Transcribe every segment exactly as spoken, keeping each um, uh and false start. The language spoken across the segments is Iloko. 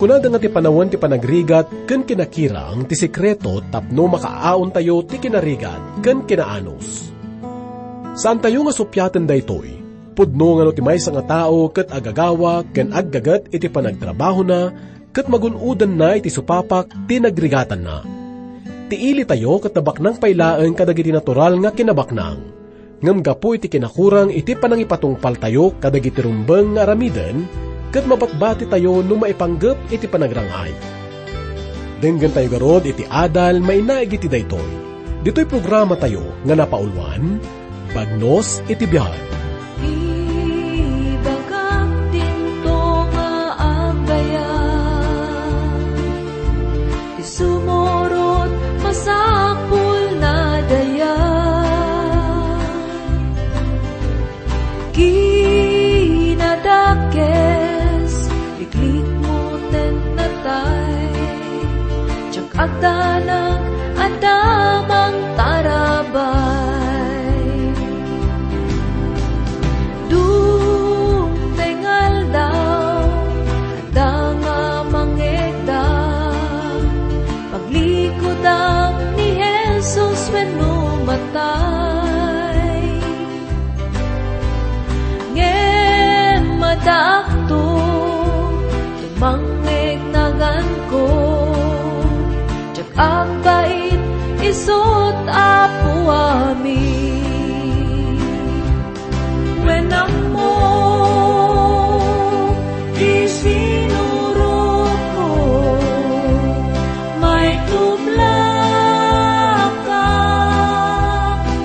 Kunada nga ti panawen ti panagrigat ken kinakirang ti sekreto tapno makaaontayo ti kinarigat ken kinaanus. Saantayo nga supiaten daytoy. Pudno nga no ti maysa nga tao ket agagawa ken aggaget iti panagtrabahona ket magun-odanna iti supapak ti nagrigatanna. Ti ilitayo ket nabaknang pay laeng kadagiti natural nga kinabaknang. Ngem gapu iti kinakurang iti panangipatungpaltayo kadagiti rumbeng nga aramiden, ket mabatbatitayo no maipanggep iti panagrang-ay. Denggentayo garud iti adal mainaig iti daytoy. Ditoy programatayo nga napauluan, Bagnos iti Biag. Ibagak dinto nga agayat. Ti sumurot, masapul na dayag. Kinadakes, iklikmo ten natay. Diak agdanag, adda mangtarabay. Dungtay nga aldaw, adda nga mangngegda, paglikudam ni Jesus wenno matay. Ngem addaakto, mangngegnaganko, diak agbain isut' Apo amin. Wen ammo ti sinurotko, maitublaka,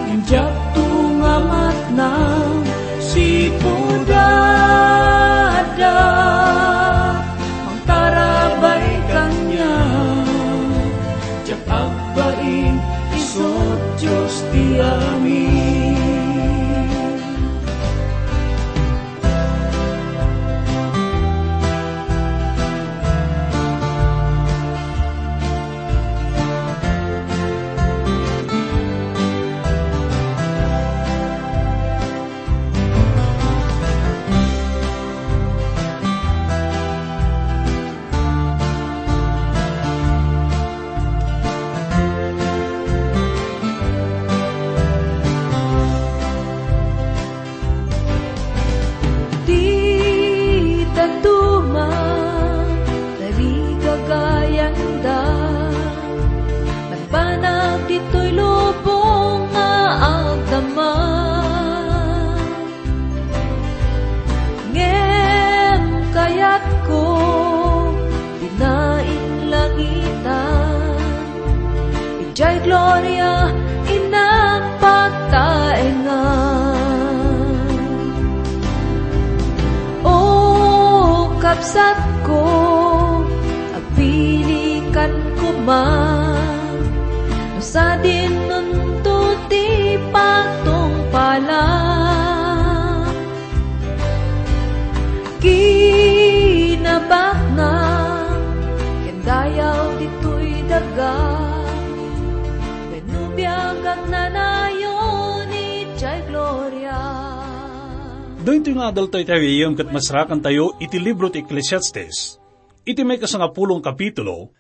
ngem diakto nga matnang sipud adda mangtarabay kaniak. Diak agbain, isut' Dios ti amin. Ti dadduma, tarigagayanda, banbanag ditoy lubong nga agdama. Ngem kayatko, dina inlangitan, idiay gloria innak pagtaengan. O kabsatko, agpilikan koma, no sadinonto ti pagtungpalam. Kinabaknang ken dayaw ditoy daga, wenno biag agnanayon idiay gloria. Daytoy nga adaltayo, iti gayyem, ket masarakantayo iti libro ti Eclesiastes, iti maikasangapulo nga kapitulo,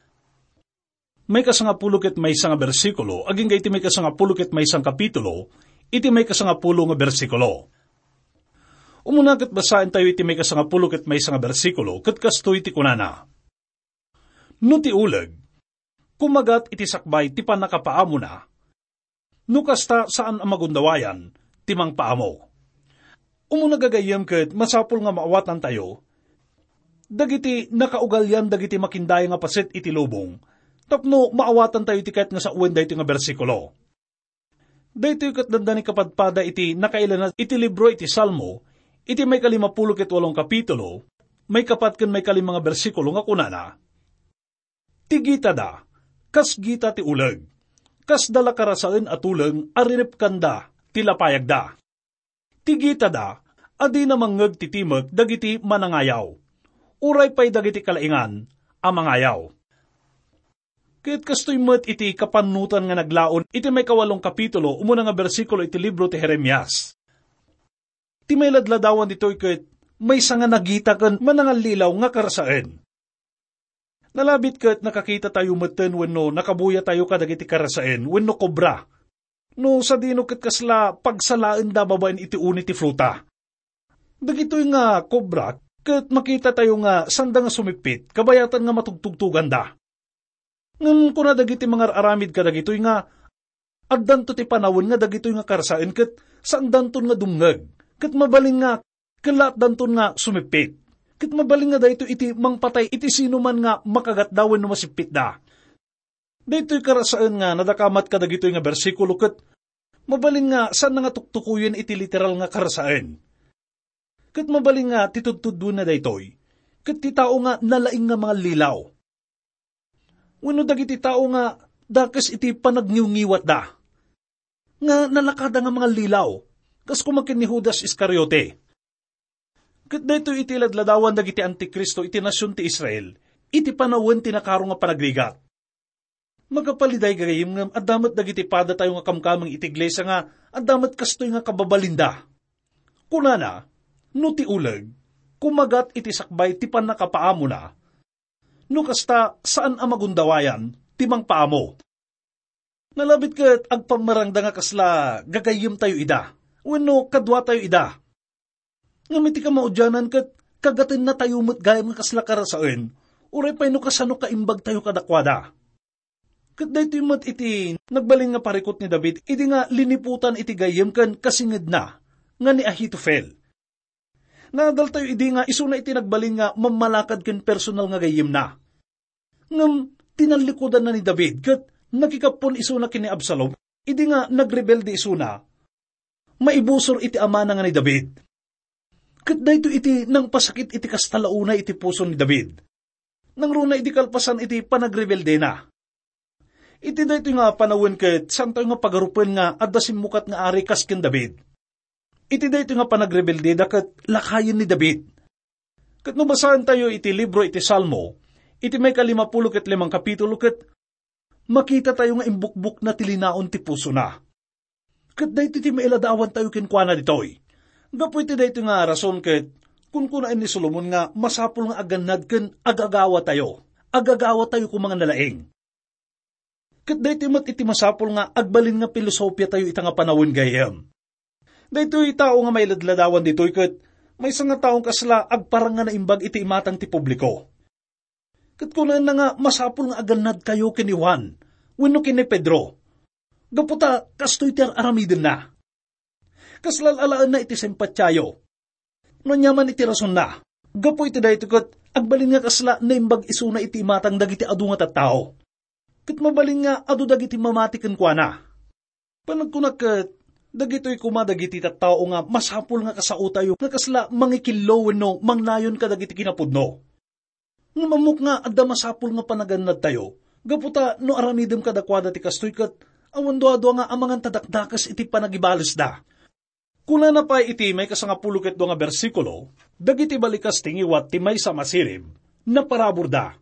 maikasangapulo ket maysa nga bersikulo, agingga iti maikasangapulo ket maysa nga kapitulo, iti maikasangapulo nga bersikulo. Umuna ket basaentayo iti maikasangapulo ket maysa nga bersikulo, ket kastoy ti kunana: "No ti uleg, kumagat iti sakbay ti pannakapaamona, no kasta, saan a magundawayan ti mangpaamo." Umuna, gagayyem, ket masapul nga maawatantayo dagiti nakaugalian dagiti makindaya nga paset iti lubong tapno maawatantayo iti kayat nga sawen daytoy nga bersikulo. Daytoy ket dandani kapadpada iti nakailana iti libro iti Salmo, iti maikalimapulo ket walo nga kapitulo, maikapat ken maikalima nga bersikulo nga kunana: "Ti gitada, kas gita ti uleg, kasda la karasaen a tuleng a rinepkanda ti lapayagda. Ti gitada, a dina mangngeg ti timek dagiti manangayaw, uray pay dagiti kalaingan a mangayaw." Ket kastoy met iti kapannutan nga naglaon iti maikawalo nga kapitulo, umuna nga bersikulo iti libro ti Jeremias. Ti mailadladawan ditoy ket maysa nga nagita ken manangallilaw nga karasaen. Nalabit ket nakakitatayo metten wenno nakabuyatayo kadagiti karasaen wenno kobra. No sadino ket kasla pagsalaenda babaen iti uni ti fruta. Dagitoy nga kobra ket makitatayo nga sanda nga sumippit kabayatan nga matugtugtuganda. Ngem kuna dagiti mangar-aramid kadagitoy nga addanto ti panawen nga dagitoy nga karasaen ket saandanton nga dumngeg, ket mabalin nga kellaatdanton nga sumippit. Ket mabalin nga daytoy iti mangpatay iti sinuman nga makagatda wenno masippitda. Daytoy karasaen nga nadakamat kadagitoy nga bersikulo ket mabalin nga saan nga tuktukoyen iti literal nga karasaen. Ket mabalin nga ti tudtuddoenna daytoy ket ti tao nga nalaing nga mangallilaw. Wenno dagiti tao nga dakes iti panagniwngiwatda, nga nalakada nga mangallilaw, kas koma ken ni Judas Iscariote. Ket daytoy iti ladladawan dagiti antikristo iti nasion ti Israel, iti panawen ti nakaro nga panagrigat. Makapaliday gagayem ngem adda met dagiti padatayo nga kamkameng iti iglesia nga adda met kastoy nga kababalinda. Kunana, no ti uleg, kumagat iti sakbay ti pannakapaamona, no kasta, saan a magundawayan ti mangpaamo. Nalabit ket agpammarangda nga kasla gagayyemtayo ida, wenno kaduatayo ida. Ngem iti kamaudianan ket kagatennatayo met gayam nga kasla karasaen, uray pay no kasano kaimbagtayo kadakuada. Ket daytoy met iti nagbalin nga parikut ni David idi nga liniputan iti gayyem ken kasingedna nga ni Ahitofel. Naadaltayo idi nga isuna iti nagbalin nga mammalakad ken personal nga gayyemna. Ngem tinallikudanna ni David ket nakikappon isuna ken ni Absalom idi nga nagrebelde isuna maibusor iti amana nga ni David. Ket daytoy iti nangpasakit iti kasta la unay iti puso ni David. Nangruna idi kalpasan iti panagrebeldena. Iti daytoy nga panawen ket saantayo nga pagarupen nga adda simmukat nga ari kas ken David. Iti daytoy nga panagrebeldeda ket lakayen ni David. Ket no basaentayo iti libro iti Salmo, iti maikalimapulo ket limang kapitulo ket makitatayo nga imbukbokna ti linaon ti pusona. Ket daytoy ti mailadawantayo kenkuana ditoy. Gapu iti daytoy nga rason ket kunkunaen ni Solomon nga masapul nga agannad ken agagawatayo. Agagawatayo koma nga nalaing. Ket daytoy met iti masapul nga agbalin nga pilosopiatayo ita nga panawen gayyem. Daytoy tao nga mailadladawan ditoy ket maysa nga taong kasla agparang nga naimbag iti imatang ti publiko. Ket kunaenna nga masapul nga agannadkayo ken ni Juan wenno ken ni Pedro, gapu ta kastoy ti ar-aramidenna. Kasla al-alaenna iti simpatiayo. No ania man iti rasonna, gapu iti daytoy ket agbalin nga kasla naimbag isuna iti imatang dagiti adu nga tattao. Ket mabalin nga adu dagiti mamati kenkuana. Panagkunak ket, dagitoy koma dagiti tattao nga masapul nga kasaotayo nga kasla mangikillo wenno mangnayon kadagiti kinapudno. Ngem ammok nga adda masapul nga panagannadtayo, gapu ta no aramidem kadakuada ti kastoy ket awan duadua nga amangan ta dakdakes iti panagibalesda. Kunana pay iti maikasangapulo ket dua nga bersikulo, dagiti balikas ti ngiwat ti maysa a masirib, naparaburda.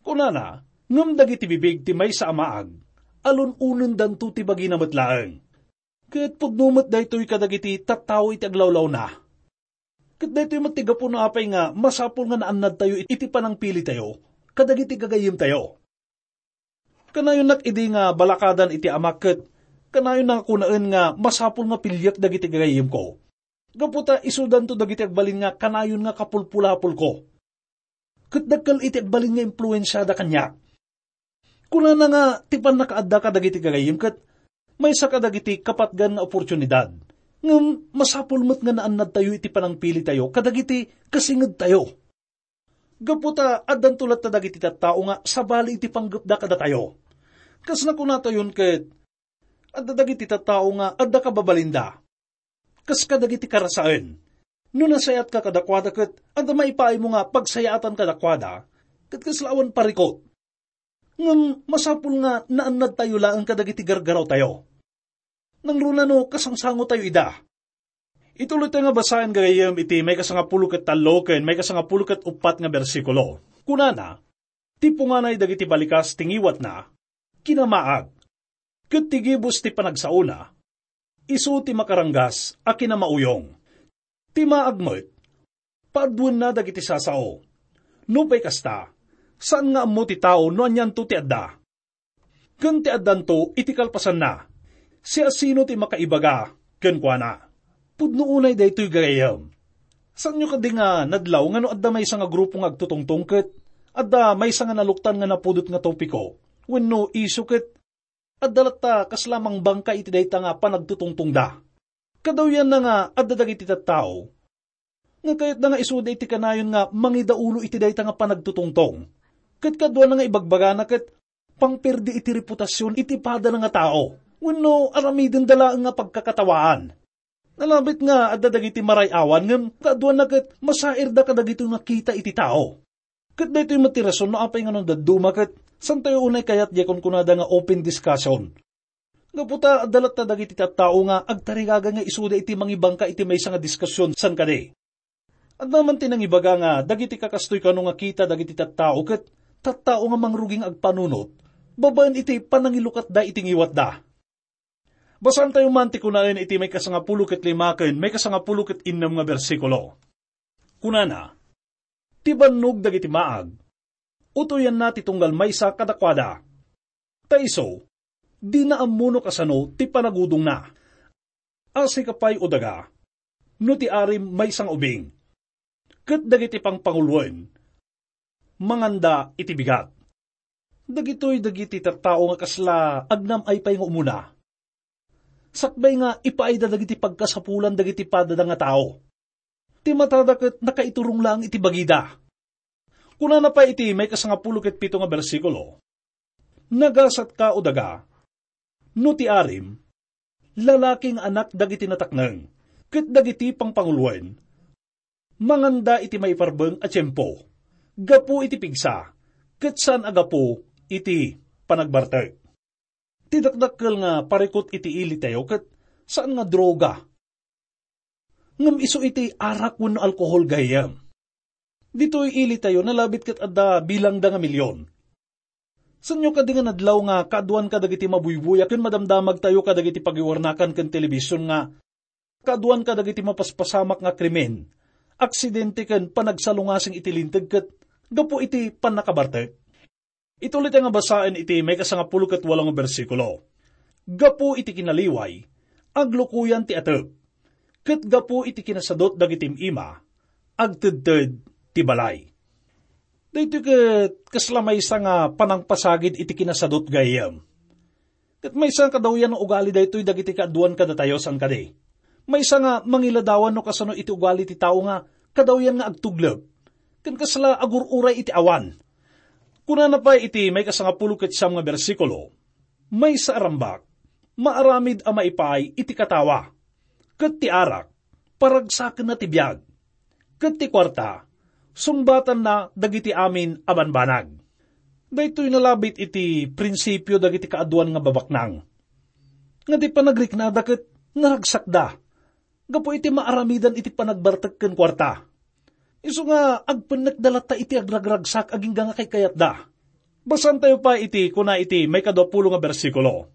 Kunana, ngem dagiti bibig ti maysa a maag, alun-onendanto ti bagina met laeng. Ket pudno met daytoy kadagiti tattao iti aglawlawna. Ket daytoy met ti gapu no apay nga masapul nga naannadtayo iti panangpilitayo kadagiti gagayyemtayo. Kanayonnak idi nga balakadan iti Amak ket kanayonna nga kunaen nga masapul nga piliek dagiti gagayyemko. Gapu ta isudanto dagiti agbalin nga kanayon nga kapulpulapolko. Ket dakkel iti agbalin nga impluensiada kaniak. Kunana nga ti pannakaadda kadagiti gagayyem ket maysa kadagiti kapatgan nga oportunidad. Ngem masapul met nga naannadtayo iti panangpilitayo kadagiti kasingedtayo. Gapu ta addanto latta dagiti tattao nga sabali iti panggepda kadatayo. Kas nakunatayon ket, adda dagiti tattao nga adda kababalinda. Kas kadagiti karasaen, no nasayaat ka kadakuada ket adda maipaaymo nga pagsayaatan kadakuada, ket kasla awan parikut. Ngem masapul nga naannadtayo laeng kadagiti gargarawtayo. Nangruna no kasangsangotayo ida. Ituloytayo nga basaen gagayyem iti maikasangapulo ket tallo ken maikasangapulo ket uppat nga bersikulo. Kunana, "Ti punganay dagiti balikas ti ngiwatna, kinamaag, ket ti gibus ti panagsaona, isu ti makaranggas a kinamauyong. Ti maag met, paaduenna dagiti sasao. Nupay kasta, Saan nga ammo ti tao no anianto ti adda. Ken ti addanto iti kalpasanna, siasino ti makaibaga kenkuana? Pudno unay daytoy, gagayyem. Saanyo kadi nga nadlaw nga no adda maysa nga grupo nga agtutungtong ket adda maysa nga naluktan nga napudot nga topiko wenno isyu ket adda latta kasla mangbangka iti dayta nga panagtutungtongda? Kadawyanna nga adda dagiti tattao nga kayatda nga isuda iti kanayon nga mangidaulo iti dayta nga panagtutungtong. Ket kaduana nga ibagbagana ket pangperdi iti reputasion iti padana nga tao wenno aramidenda laeng nga pagkakatawaan. Nalabit nga adda dagiti maray-awan ngem kaduana ket masairda kadagitoy nga kita iti tao. Ket daytoy met ti rason no apay nga no dadduma ket santayo unay kayat diay kunkunada nga open discussion. Gapu ta adda latta dagiti tattao nga agtarigaga nga isuda iti mangibangka iti maysa nga diskusyon san kadi. Adda man ti nangibaga nga dagiti kakastoy kano nga kita dagiti tattao ket tattao nga mangrugi nga agpanunot babaen iti panangilukatda iti ngiwatda. Basaantayo man ti kunaen iti maikasangapulo ket lima ken maikasangapulo ket innem nga bersikulo. Kunana, "Ti bannog dagiti maag, utoyanna ti tunggal maysa kadakuada. Ta isu, dina ammo no kasano ti panagudongna. Asika pay, o daga, no ti arim maysa nga ubing, ket dagiti pangpanguloen, manganda iti bigat." Dagitoy dagiti tattao nga kasla agnam-ay pay nga umuna. Sakbay nga ipaayda dagiti pagkasapulan dagiti padada nga tao. Ti matada ket nakaiturong laeng iti bagida. Kunana pay iti maikasangapulo ket pito nga bersikulo, "Nagasatka, o daga, no ti arim, lalaki nga anak dagiti natakneng, ket dagiti pangpanguloen, manganda iti maiparbeng a tiempo, gapu iti pigsa, ket saan a gapu iti panagbartek." Ti dakdakkel nga parikut iti ilitayo ket saan nga droga. Ngem isu iti arak wenno alkohol, gayyem. Ditoy ilitayo, nalabit ket adda bilangda nga milyon. Saanyo kadi nga nadlaw nga kaaduan kadagiti mabuybuya ken madamdamagtayo kadagiti pagiwarnakan ken telebision nga kaaduan kadagiti mapaspasamak nga krimen, aksidente ken panagsalungasing iti linteg ket gapu iti pannakabartek? Ituloyta nga basaen iti maikasangapulo ket walo nga bersikulo, "Gapu iti kinaliway, aglukoyan ti atep, ket gapu iti kinasadut dagiti im-ima, agtedted ti balay." Daytoy ket kasla maysa nga panangpasagid iti kinasadut, gayyem. Ket maysa nga kadawyan nga ugali daytoy dagiti kaaduan kadatayo, saan kadi? Maysa nga mangiladawan no kasano iti ugali ti tao nga kadawyan nga agtuglep, ken kasla agur-uray iti awan. Kunana pay iti maikasangapulo ket siam nga bersikulo, "Maysa a rambak, maaramid a maipaay iti katawa, ket ti arak, paragsakenna ti biag, ket ti kuarta, sungbatanna dagiti amin a banbanag." Daytoy nalabit iti prinsipio dagiti kaaduan nga babaknang. Nga ti panagriknada ket naragsakda gapu iti maaramidan iti panagbartek ken kuarta. Isu nga agpennekda latta iti agragragsak agingga nga kaykayatda. Basaantayo pay iti kuna iti maikadua pulo nga bersikulo,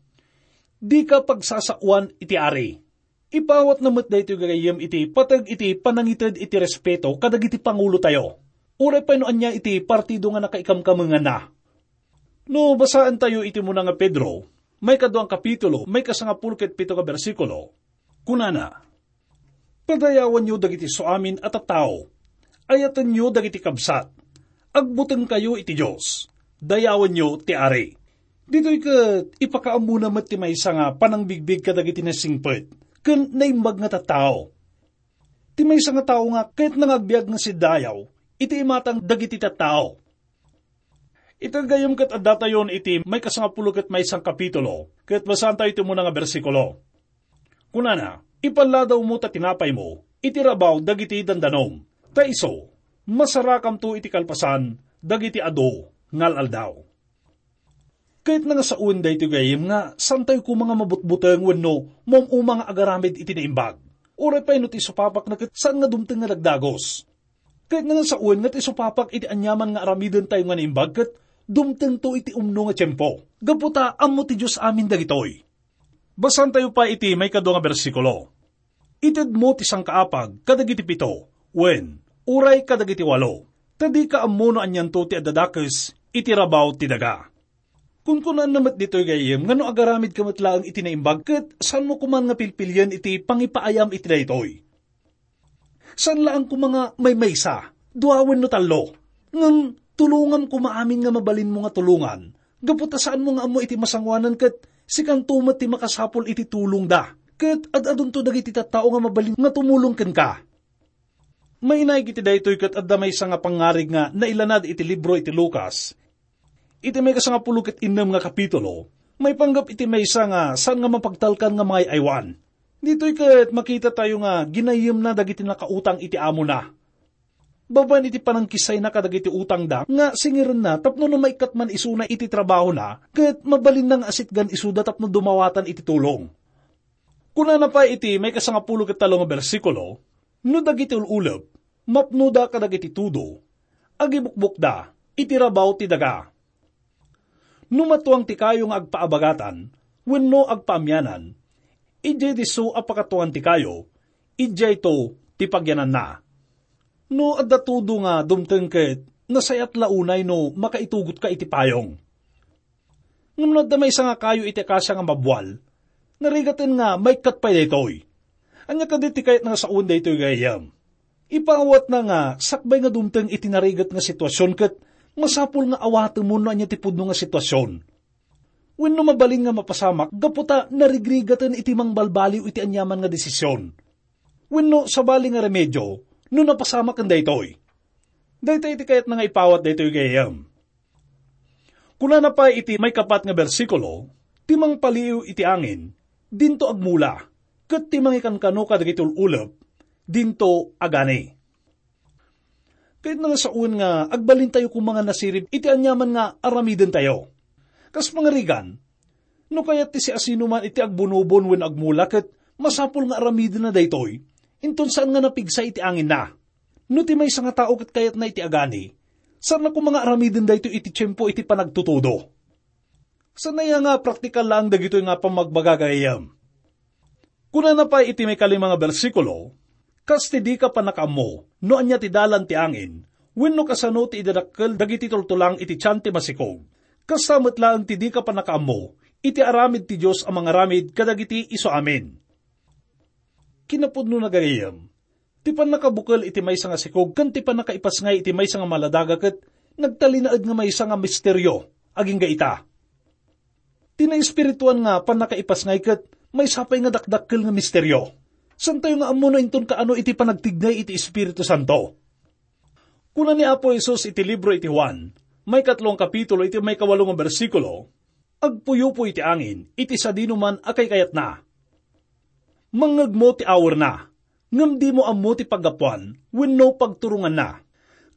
"Dika pagsasaoan iti ari." Ipawatna met daytoy, gagayyem, iti pateg iti panangited iti respeto kadagiti pangulotayo, uray pay no ania iti partido nga nakaikamkamenganna. No basaentayo iti umuna nga Pedro, maikadua a kapitulo, maikasangapulo ket pito nga bersikulo, kunana, "Padayawanyo dagiti suamin a tattao, ayatenyo dagiti kabsat, agbutengkayo iti Dios, dayawenyo ti Ari." Ditoy ket ipakaammona met ti maysa nga panangbigbig kadagiti naisingpet ken naimbag nga tattao. Ti maysa nga tao nga kayatna nga agbiag nga siddayaw iti imatang dagiti tattao. Ita gayam ket addatayon iti maikasangapulo ket maysa a kapitulo, ket basaantayo iti umuna nga bersikulo. Kunana, "Ipalladawmo ta tinapaymo iti rabaw dagiti dandanom, ta isu, masarakamto iti kalpasan dagiti adu nga al-aldaw." Kayatna nga saoen daytoy gayam nga saantayo koma nga mabutbuteng wenno maum-uma nga agaramid iti naimbag. Uray pay no ti isupapak na ket saan nga dumteng nga dagdagos. Kayatna nga saoen nga ti isupapak iti aniaman nga aramidentayo nga naimbag ket dumtengto iti umno nga tiempo. Gapu ta ammo ti Dios amin dagitoy. Basaantayo pay iti maikadua nga bersikulo. "Itedmo ti sangkaapag kadagiti pito, wen, uray kadagiti walo, ta dika ammo no anianto ti adda dakes iti rabaw ti daga. Kunkunaanna met ditoy gayyem nga no agaramidka met laeng iti naimbag ket saanmo koman nga pilpilien iti pangipaayam iti daytoy. Saan laeng koma nga maymaysa, dua wenno tallo, ngem tulongam koma amin nga mabalinmo nga tulongan, gapu ta saanmo nga ammo iti masangoanan ket sikanto met ti makasapul iti tulongda, ket ad-adunto dagiti tattao nga mabalin nga tumulong kenka. Mainaig iti daytoy ket adda maysa nga pangngarig nga nailanad iti libro iti Lucas, iti maikasangapulo ket innem nga kapitulo, maipanggep iti maysa nga saan nga mapagtalkan nga mangay-aywan. Ditoy ket makitatayo nga ginayyemna dagiti nakautang iti amona. Babaen iti panangkissayna kadagiti utangda nga singirenna tapno no maikkat man isuna iti trabahona, ket mabalinna nga asitgan isuda tapno dumawatan iti tulong. Kunana pay iti maikasangapulo ket tallo nga bersikulo, "No dagiti ul-ulep, mapnoda kadagiti tudo, agibukbokda iti rabaw ti daga. No matuang ti kayo nga agpaabagatan wenno agpaamianan, idiay disso a pakatuangan ti kayo, idiayto ti pagyananna." No adda tudo nga dumteng ket nasayat la unay no makaitugotka iti payong. Ngem no adda maysa nga kayo iti akasia nga mabwal, narigaten nga maikkat pay daytoy. Ania kadi ti kayat nga sawen daytoy gayyem? Ipaawatna nga sakbay nga dumteng iti narigat nga situasion ket masapul nga awatemon no ania ti pudno nga situasion. Wenno mabalin nga mapasamak gapu ta narigrigaten iti mangbalbaliw iti aniaman nga desision. Wenno sabali nga remedio no napasamak ken daytoy. Daytoy iti kayatna nga ipawat daytoy gayyem. Kunana pay iti maikapat nga bersikulo, "Ti mangpaliiw iti angin, dinto agmula, ket ti mangikankano kadagiti ul-ulep, dinto agani." Kayatna nga sawen nga agbalintayo koma nga nasirib iti aniaman nga aramidentayo. Kas pangarigan, no kayat ti siasinoman iti agbunobon wenno agmula ket masapul nga aramidenna daytoy, inton saan nga napigsa iti anginna. No ti maysa nga tao ket kayatna iti agani, saanna koma nga aramiden daytoy iti tiempo iti panagtutudo. Saan aya nga praktikal laeng dagitoy nga pammagbaga gayyem? Kunana pay iti maikalima nga bersikulo, "Kas ti dika pannakaammo no ania ti dalan ti angin, wenno kasano ti idadakkel dagiti tultulang iti tian ti masikog, kasta met laeng ti dika pannakaammo iti aramid ti Dios a mangaramid kadagiti isu amin." Kinapudnona gayyem, ti pannakabukel iti maysa nga sikog ken ti pannakaipasngay iti maysa nga maladaga ket nagtalinaed nga maysa nga misterio agingga ita. Ti naespirituan nga pannakaipasngay ket maysa pay nga dakdakkel nga misterio. Saantayo nga ammo no inton kaano iti panagtignay iti Espiritu Santo. Kuna ni Apo Jesus iti libro iti Juan, maikatlo nga kapitulo, iti maikawalo nga bersikulo, "Agpuyupoy ti angin iti sadinoman a kaykayatna. Mangngegmo ti awerna, ngem dimo ammo ti paggapuan wenno pagturonganna.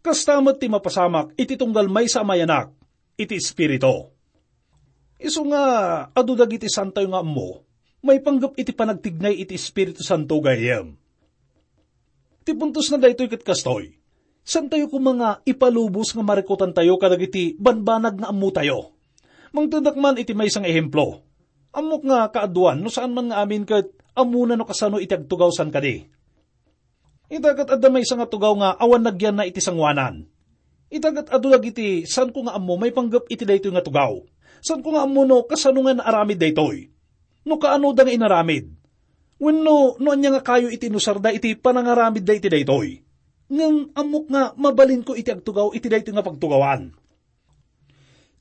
Kasta met ti mapasamak iti tunggal maysa a mayanak iti Espiritu." Isu nga adu dagiti saantayo nga ammo maipanggep iti panagtignay iti Espiritu Santo gayyem. Ti puntosna daytoy ket kastoy: saantayo koma nga ipalubos nga marikutantayo kadagiti banbanag nga ammotayo. Mangtedak man iti maysa nga ehemplo. Ammok nga kaaduan no saan man nga amin ket ammona no kasano iti agtugaw, saan kadi? Ita ket adda maysa nga tugaw nga awan nagyanna iti sangoanan. Ita ket adu dagiti saanko nga ammo maipanggep iti daytoy nga tugaw. Saanko nga ammo no kasano nga naaramid daytoy. No kaanoda nga inaramid. Wenno no ania nga kayo iti inusarda iti panangaramidda iti daytoy. Ngem ammok nga mabalinko iti agtugaw iti daytoy nga pagtugawan.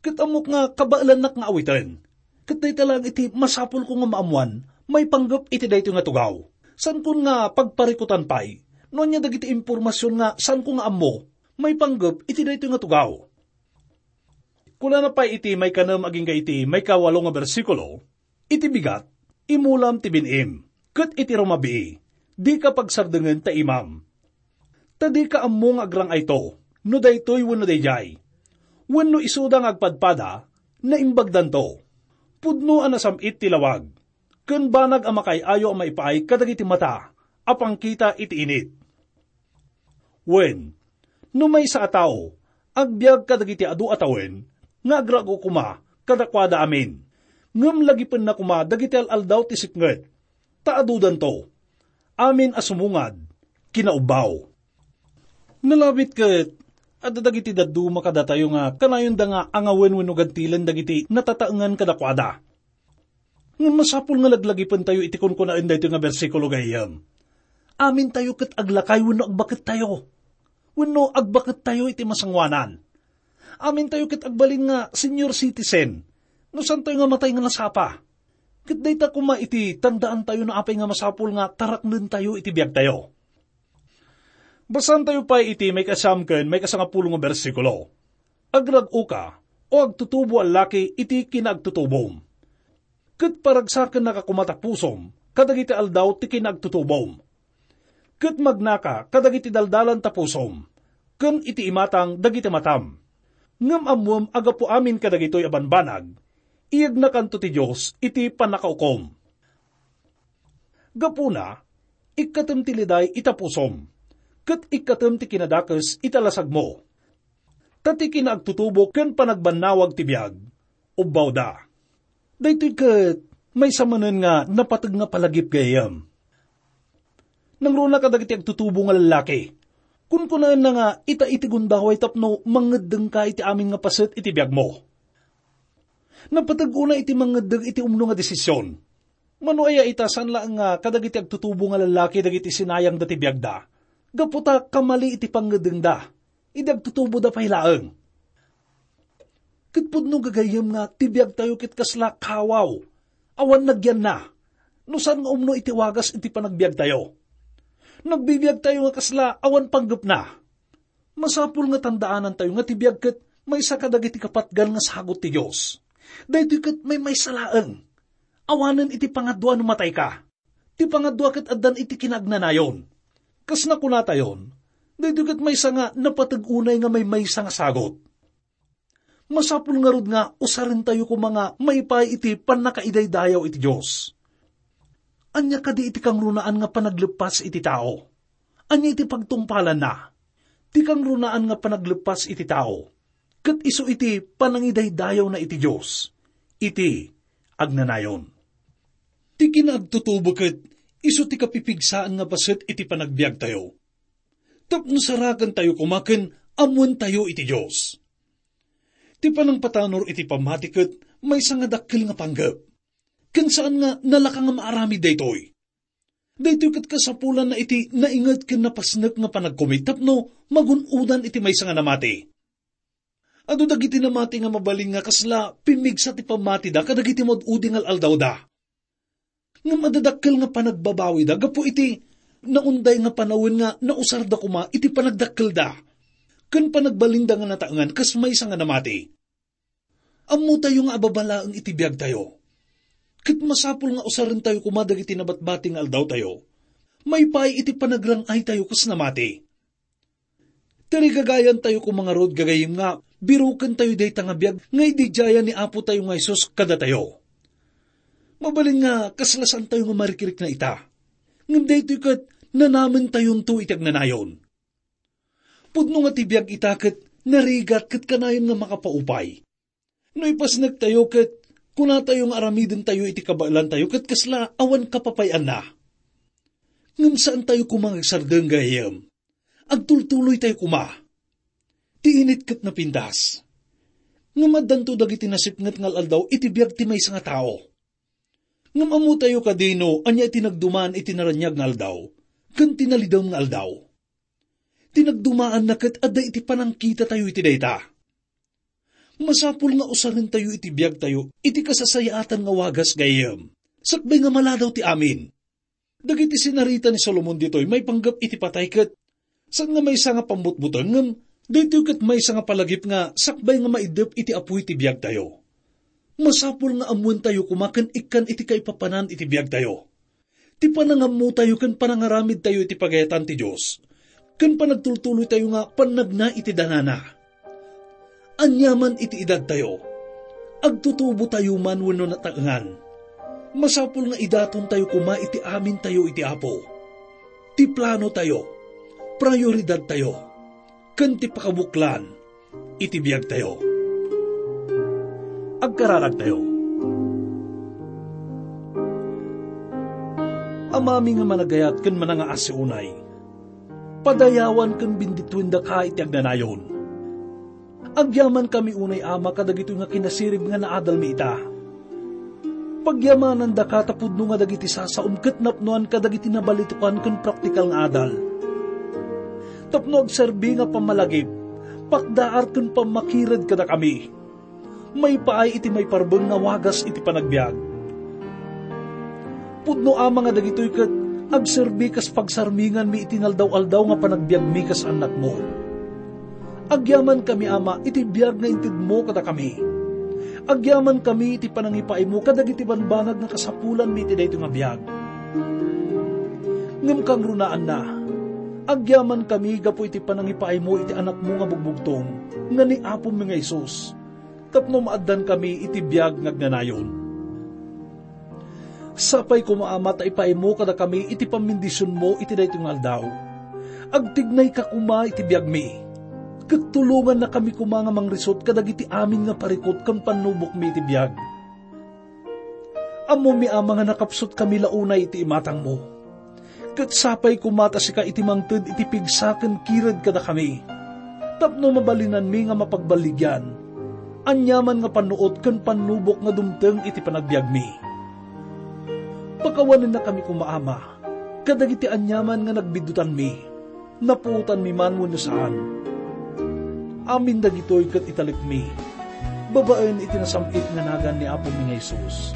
Ket ammok nga kabaelannak nga awiten. Ket dayta laeng iti masapulko nga maammoan maipanggep iti daytoy nga tugaw. Saankon nga pagparikutan pay no ania dagiti impormasion nga saanko nga ammo maipanggep iti daytoy nga tugaw. Kunana pay iti maikanem agingga iti maikawalo nga bersikulo, "Iti bigat, imulam ti bin-im, ket iti rumabii, dika pagsardengen ta imam. Ta dika ammo nga agrang-ayto, no daytoy wenno daydiay. Wenno isuda nga agpadpada, naimbagdanto. Pudno a nasam-it ti lawag, ken banag a makaay-ayo a maipaay kadagiti mata a pangkita iti init." Wen, no maysa a tao, agbiag kadagiti adu a tawen, nga agrag-o koma kadakuada amin, ngem lagipenna koma dagiti al-aldaw ti sipnget, ta adudanto. Amin a sumungad, kinaubbaw. Nalabit ket Adda dagiti dadduma kadatayo nga kanayonda nga angawen wenno gantilen dagiti natataengan kadakuada. Ngem masapul nga laglagipentayo iti kunkunaen daytoy nga bersikulo, gayyem. Amintayo ket aglakay wenno agbakettayo. Wenno agbakettayo iti masangoanan. Amintayo ket agbalin nga senior citizen no saantayo nga matay nga nasapa. Ket dayta koma iti tandaantayo no apay nga masapul nga taraknentayo iti biagtayo. Basaantayo pay iti maikasiam ken maikasangapulo nga bersikulo. Agrag-oka, o agtutubo a laki, iti kinaagtutubom. Ket paragsakennaka koma ta pusom kadagiti aldaw ti kinaagtutubom. Ket magnaka kadagiti daldalan ta pusom, ken iti imatang dagiti matam. Ngem ammoem a gapu amin kadagitoy a banbanag, iyegnakanto ti Dios iti pannakaukom. Gapuna, ikkatem ti liday ita pusom, ket ikkatem ti kinadakes ita lasagmo. Ta ti kinaagtutubo ken panagbannawag ti biag, ubbawda. Daytoy ket maysa manen nga napateg nga palagip, gayyem. Nangruna kadagiti agtutubo nga lallaki. Kunkunaenna nga ita iti gundaway tapno mangeddengka iti amin nga paset iti biagmo. Napateg unay iti mangeddeng iti umno nga desisyon. Mano aya ita, saan laeng nga kadagiti agtutubo nga lallaki dagiti sinayangda ti biagda, gapu ta kamali iti pangngeddengda idi agtutuboda pay laeng. Ket pudno, gagayyem, nga ti biagtayo ket kasla kawaw, awan nagyanna, no saan nga umno iti wagas iti panagbiagtayo. Nagbibiagtayo nga kasla awan panggepna. Masapul nga tandaanantayo nga ti biag ket maysa kadagiti kapatgan nga sagut ti Dios. Daytoy ket maymaysa laeng. Awanen iti pangadua no matayka. Ti pangadua ket addan iti kinaagnanayon. Kas nakunatayon, daytoy ket maysa nga napateg unay nga maymaysa nga sagut. Masapul ngarud nga usarentayo koma nga maipaay iti pannakaidaydayaw iti Dios. Ania kadi iti kangrunaan nga panagleppas iti tao? Ania iti pagtungpalanna? Ti kangrunaan nga panagleppas iti tao, ket isu iti panangidaydayawna iti Dios, iti agnanayon. Ti kinaagtutubo ket isu ti kapipigsaan nga paset iti panagbiagtayo. Tapno sarakentayo koma ken ammoentayo iti Dios. Ti panangpatanor iti pammati ket maysa nga dakkel nga panggep. Ken saan nga nalaka nga maaramid daytoy. Daytoy ket kasapulanna iti nainget ken napasnek nga panagkumit tapno magun-odan iti maysa nga namati. Adu dagiti namati nga mabalin nga kasla pimmigsa ti pammatida kadagiti maud-udi nga al-aldawda. Ngem adda dakkel nga panagbabawida gapu iti naunday nga panawen nga nausarda koma iti panagdakkelda ken panagbalinda nga nataengan kas maysa nga namati. Ammotayo nga ababa laeng iti biagtayo. Ket masapul nga usarentayo koma dagiti nabatbati nga aldawtayo. Maipaay iti panagrang-aytayo kas namati. Tarigagayantayo koma ngarud, gagayyem, nga birokentayo dayta nga biag nga ididiayan ni Apotayo nga Jesus kadatayo. Mabalin nga kasla saantayo nga marikrikna ita. Ngem daytoy ket nanamentayonto iti agnanayon. Pudno nga ti biag ita ket narigat ket kanayon nga makapaupay. No ipasnektayo ket kunatayo nga aramidentayo iti kabaelantayo ket kasla awan kapapay-anna. Ngem saantayo koma nga agsardeng, gayyem. Agtultuloytayo koma. Ti init ket napintas. Ngem addanto dagiti nasipnget nga al-aldaw iti biag ti maysa nga tao. Ngem ammotayo kadi no ania ti nagdumaan iti naraniag nga aldaw ken ti nalidem nga aldaw. Ti nagdumaanna ket adda iti panangkitatayo iti dayta. Masapul nga usarentayo iti biagtayo iti kasasayaatan nga wagas, gayyem, sakbay nga maladaw ti amin. Dagiti sinarita ni Solomon ditoy maipanggep iti patay ket saan nga maysa nga pammutbuteng, ngem daytoy ket maysa nga palagip nga sakbay nga maiddep iti apuy ti biagtayo. Masapul nga ammoentayo koma ken ikkan iti kaipapanan iti biagtayo. Ti panangammotayo ken panangaramidtayo iti pagayatan ti Dios, ken panagtultuloytayo nga pannagna iti danana. Aniaman iti edadtayo, agtutubotayo man wenno nataengan, masapul nga idatontayo koma iti amintayo iti Apo. Ti planotayo, prioridadtayo, ken ti pakabuklan iti biagtayo. Agkararagtayo. Amami nga managayat ken manangaasi unay, padayawan ken bendituendaka iti agnanayon. Agyamankami unay, Ama, kadagitoy nga kinasirib nga naadalmi ita. Pagyamanandaka ta pudno nga dagiti sasaom ket napnoan kadagiti nabalitukan ken praktikal nga adal. Tapno agserbi nga pammalagip, pakdaar ken pammakired kadakami. Maipaay iti maiparbeng nga wagas iti panagbiag. Pudno, Ama, nga dagitoy ket agserbi kas pagsarminganmi iti naldaw-aldaw nga panagbiagmi kas annakmo. Agyamankami, Ama, iti biag nga intedmo kadakami. Agyamankami iti panangipaaymo kadagiti banbanag nga kasapulanmi iti daytoy nga biag. Ngem kangrunaanna, agyamankami gapu iti panangipaaymo iti Anakmo nga bugbugtong, nga ni Apomi nga Jesus, tapno maaddankami iti biag nga agnanayon. Sapay koma, Ama, ta ipaaymo kadakami iti pammendisionmo iti daytoy nga aldaw. Agtignayka koma iti biagmi, ket tulongannakami koma nga mangrisut kadagiti amin nga parikut ken pannubokmi iti biag. Ammomi, Ama, nga nakapsutkami la unay iti imatangmo. Ket sapay koma ta sika iti mangted iti pigsa ken kired kadakami, tapno mabalinanmi nga mapagballigian aniaman nga pannuot ken pannubok nga dumteng iti panagbiagmi. Pakawanennakami koma, Ama, kadagiti aniaman nga nagbiddutanmi, napuotanmi man wenno saan. Amin dagitoy ket italekmi babaen iti nasam-it nga nagan ni Apomi nga Jesus.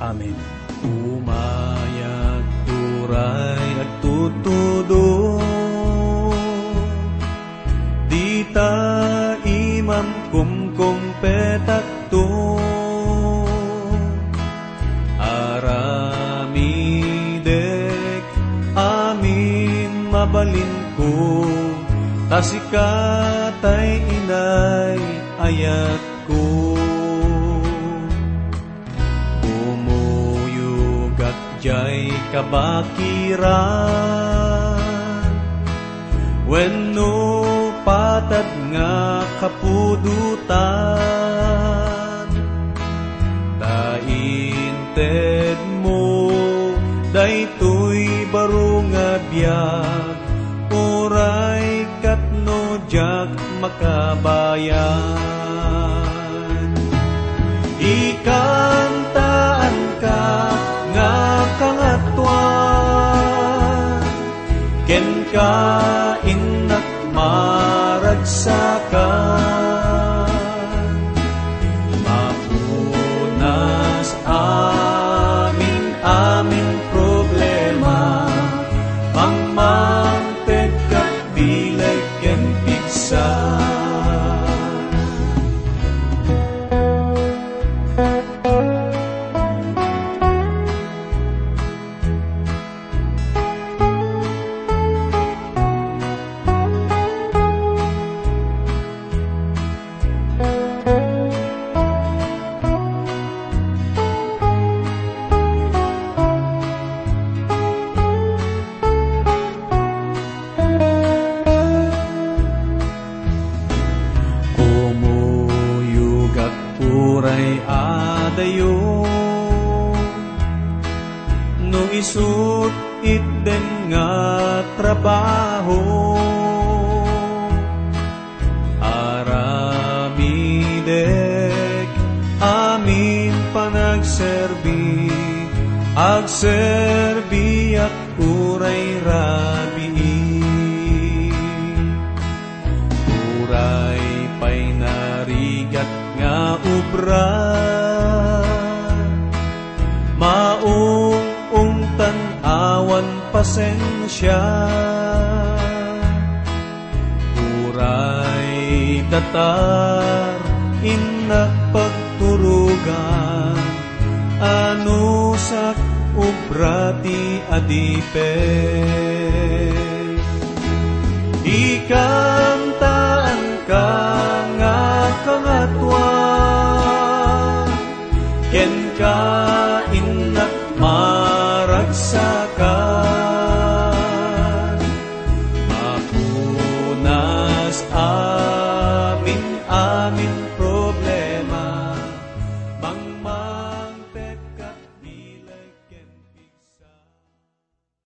Amen. Umayag turay agtutudor, dita imam kumkumpetakto. Aramidek amin mabalinko, ta sika tay inay ayatko. Kumuyogak diay kabakiran wenno patad nga kapudotan, ta intedmo daytoy baro nga biag, uray ket no diak makabayag. Ikantaanka nga kangatoan, kenka innak maragsaka. Mapunas amin, amin problema, pangmangted ket bileg ken pigsa. Kumuyogak uray adayo, no isut' itden nga trabaho. Aramidek amin panagserbi, agserbiak uray rabii. Uray pay narigat nga obra, maung-ungtan awan pasensia. Uray datar innak pagturogan, anusak obra ti adipek. Ikantaanka nga kangatoan, kenka innak maragsaka.